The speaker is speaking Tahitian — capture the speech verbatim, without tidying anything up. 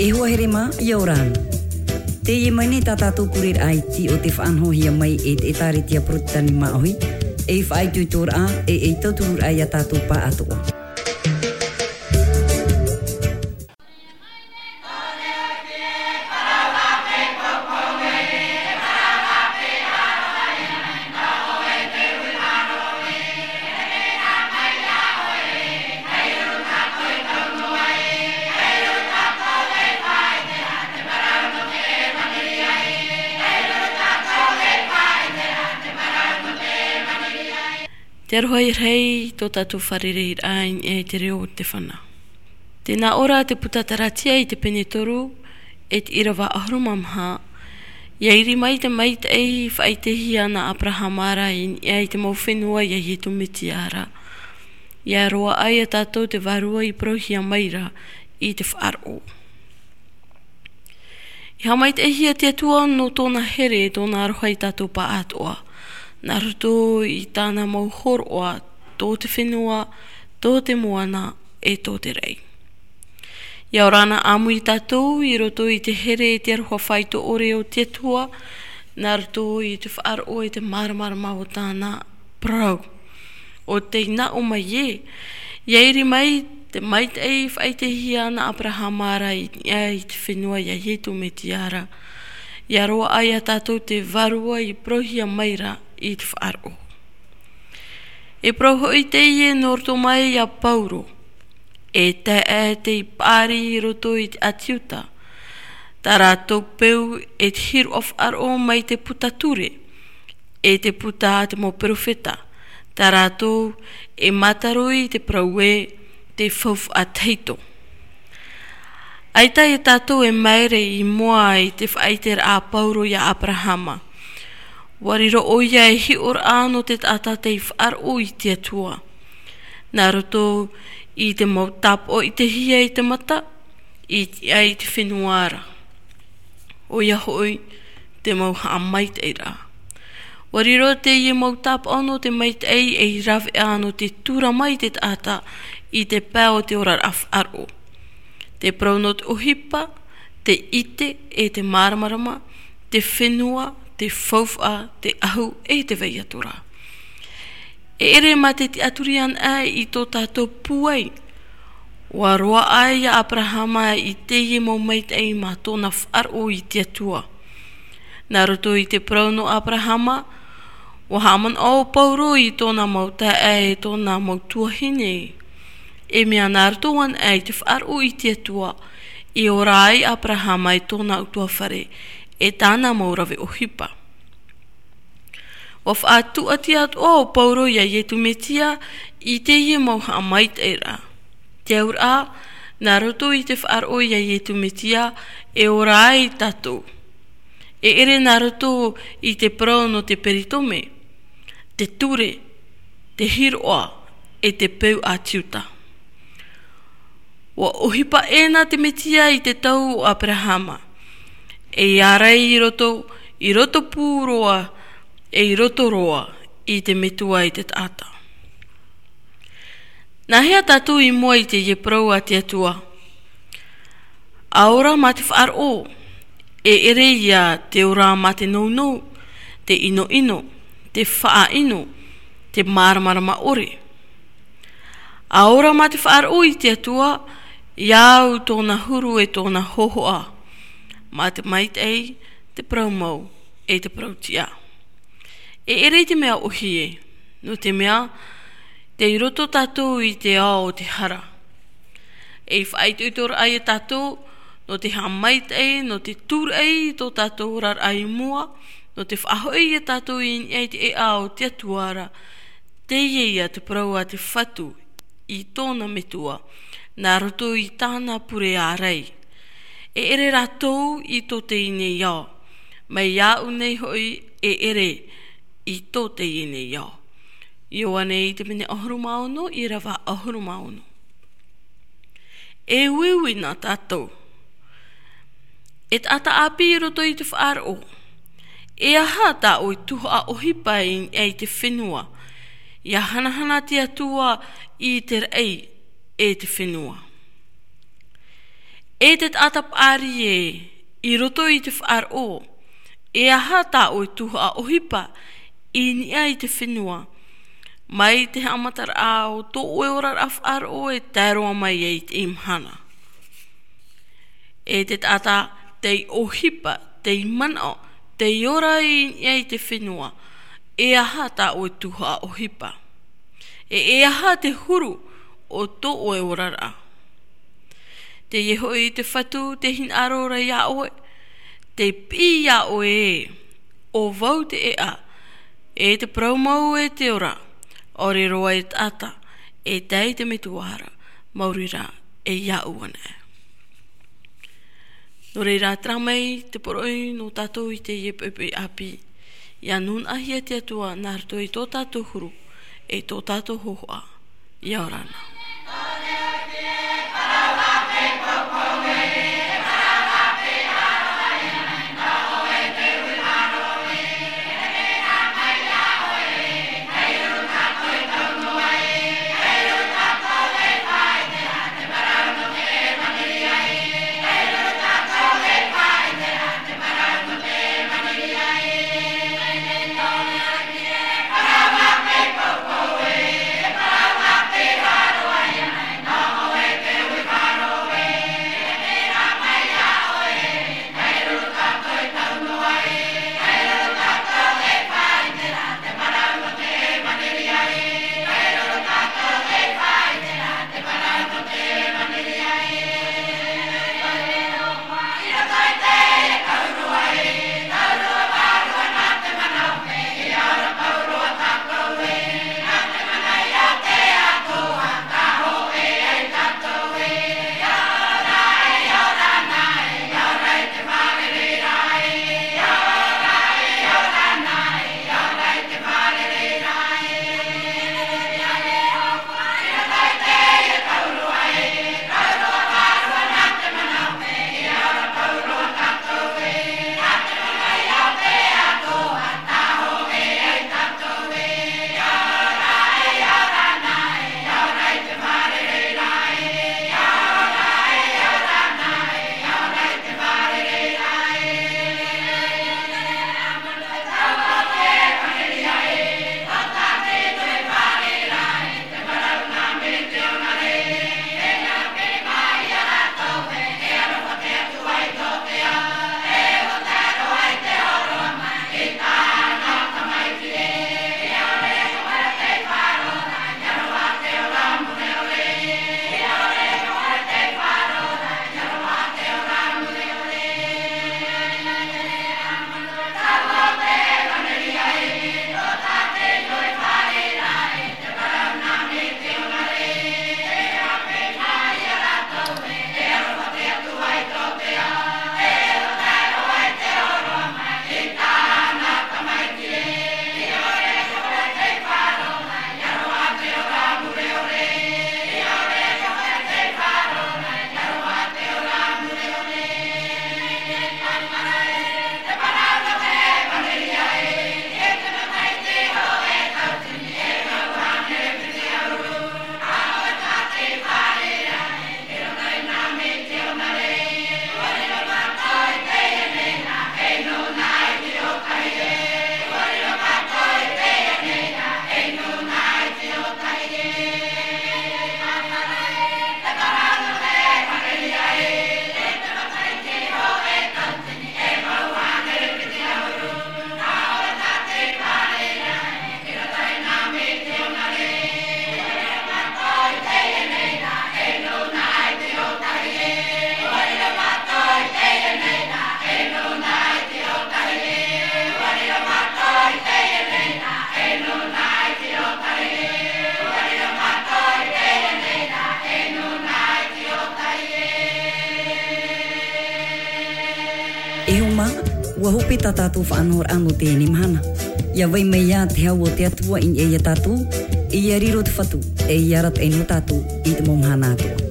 E hoa here mā, ʻia ora na. Teie mai nei tā tātou pureraʻa iti o te faʻanahohia mai e te ʻĒtārētia Porotetani Māʻohi, ei faʻaitoitoraʻa, e ei tautururaʻa ia tātou pāʻatoʻa. Te aroha i rei tō tātou fārereiraʻa i niʻa i te reo o te fana. Tē nā ʻō ra te puta Taratia i te pene toru, e te ʻīrava ʻahuru mā maha, ʻia iri mai te maitaʻi i faʻaʻitehia nā Aperahama ra i niʻa i te mau fenua ia Ietu Metia ra. ʻIa roaʻa ia tātou te vārua i parauhia mai ra i te faʻaroʻo. I haʻamaitaʻihia te Atua nō tōna here, tōna aroha ia tātou pāʻatoʻa, nā roto i tāna mau hōroʻa, tō te fenua, tō te moana, e tō te raʻi. ʻIa ora na ʻāmui tātou i roto i te here e te aroha faito ʻore o te Atua, nā roto i te faʻaroʻo e te māramarama o tāna parau. ʻO tei nā ʻō mai ē, ʻia iri mai te maitaʻi i faʻaʻitehia nā Aperahama ra i niʻa i te fenua ia Ietu Metia ra. ʻIa roaʻa ia tātou te vārua i parauhia mai ra i te faʻaroʻo. E parau hoʻi teie nō roto mai ia Pauro, e taeaʻe tei paʻari i roto i te ʻĀti Iuta, tā rātou peu e te hīroʻa faʻaroʻo mai te puta ture, e te puta a te mau perofeta, tā rātou e mātaroi i te parau ē, te faufaʻa tahito. ʻAita ia tātou e māere i mua i te faʻaʻiteraʻa a Pauro ia Aperahama. ʻUa riro ʻoia ei hiʻoraʻa nō te taʻata tei faʻaroʻo i te Atua. Nā roto i te mau tāpaʻo i te hia i te mata, i te, i te fenua ra. ʻOia hoʻi, te mau haʻamaitaʻiraʻa. ʻUa riro teie mau tāpaʻo nō te maitaʻi ei rāveʻa nō te tura mai te taʻata i te pae o te oraraʻa faʻaroʻo. Te parau nō te ʻohipa, te ʻite e te māramarama, te fenua, te faufaʻa, te ʻahu e te vai atu ra. E ʻere mā te tiʻaturi anaʻe i tō tātou pūai, ʻua roaʻa ia Aperahama i teie mau maitaʻi mā tōna faʻaroʻo i te Atua. Nā roto i te parau nō Aperahama, ʻua haʻamanaʻo Pauro i tōna mau taeaʻe e tōna mau tuahine. E mea nā roto anaʻe i te faʻaroʻo i te Atua, i ora ai Aperahama e tōna ʻutuāfare, e tāna mau rave ʻohipa. ʻUa faʻatūʻati atoʻa ʻo Pauro ia Ietu Metia i teie mau haʻamaitaʻiraʻa. Te auraʻa, nā roto i te faʻaroʻo ia Ietu Metia, e ora ai tātou. E ʻere nā roto i te parau nō te peritome, te ture, te hīroʻa, e te peu ʻĀti Iuta. ʻUa ʻohipa ʻēna te Metia i te tau o Aperahama, e ʻia ārai i roto, i roto pū roa, e i roto roa i te metua i te taʻata. Nā hea tātou i mua i teie parau a te Atua? ʻA ora mā te faʻaroʻo, e ʻere ia te ora mā te nounou, te ʻinoʻino, te faʻaʻino, te māramarama ʻore. ʻA ora mā te faʻaroʻo i te Atua, ʻia au tōna huru e tōna hōhoʻa, mā te maitaʻi, te parau mau, e te parau tiʻa. E ʻere i te mea ʻōhie, nō te mea, tei roto tātou i te ao o te hara. E faʻaitoitoraʻa ia tātou, nō te haʻamaitaʻi, nō te tūraʻi i tō tātou oraraʻa i mua, nō te faʻahoʻi ia tātou i niʻa i te ʻēʻa o te Atua ra, teie ia te parau a te Fatu i tōna metua, nā roto i tāna pure ārai. E ʻere rātou i tō teie nei ao, mai iāʻu nei hoʻi e ʻere i tō teie nei ao. Ioane i te pene ʻahuru mā ono, ʻīrava ʻahuru mā ono. E uiui na tātou. E taʻata ʻāpī i roto i te faʻaroʻo. E aha tā ʻoe tuhaʻa ʻohipa i niʻa i te fenua? ʻIa hanahana te Atua i te raʻi e te fenua. E te taʻata paʻari ē, i roto i te faʻaroʻo, e aha tā ʻoe tuhaʻa ʻohipa i niʻa i te fenua, mai te haʻamataraʻa o tō ʻoe oraraʻa faʻaroʻo e tae roa mai ai i teie mahana? E te taʻata tei ʻohipa, tei manaʻo, tei ora i niʻa i te fenua, e aha tā ʻoe tuhaʻa ʻohipa? E, e aha te huru o tō ʻoe oraraʻa? Teie hoʻi te Fatu tei hinaʻaro ra iā ʻoe, tei piʻi iā ʻoe ē, ʻo vau te ʻēʻa, e te parau mau e te ora, ʻaore roa e taʻata, e tae i te metua ra, maori rā, e iāʻu anaʻe. Nō reira, terā mai te poroʻi nō tātou i teie poʻipoʻi ʻāpī, ʻia nūnaʻahia te Atua nā roto i tō tātou huru, e tō tātou hōhoʻa, ʻia ora na. E hoa mā, ʻua hope tā tātou faʻanahoraʻa nō teie mahana. ʻIa vai mai ā te hau o te Atua i niʻa ia tātou, ʻia riro te Fatu, e ʻia arataʻi nō tātou i te mau mahana atoʻa.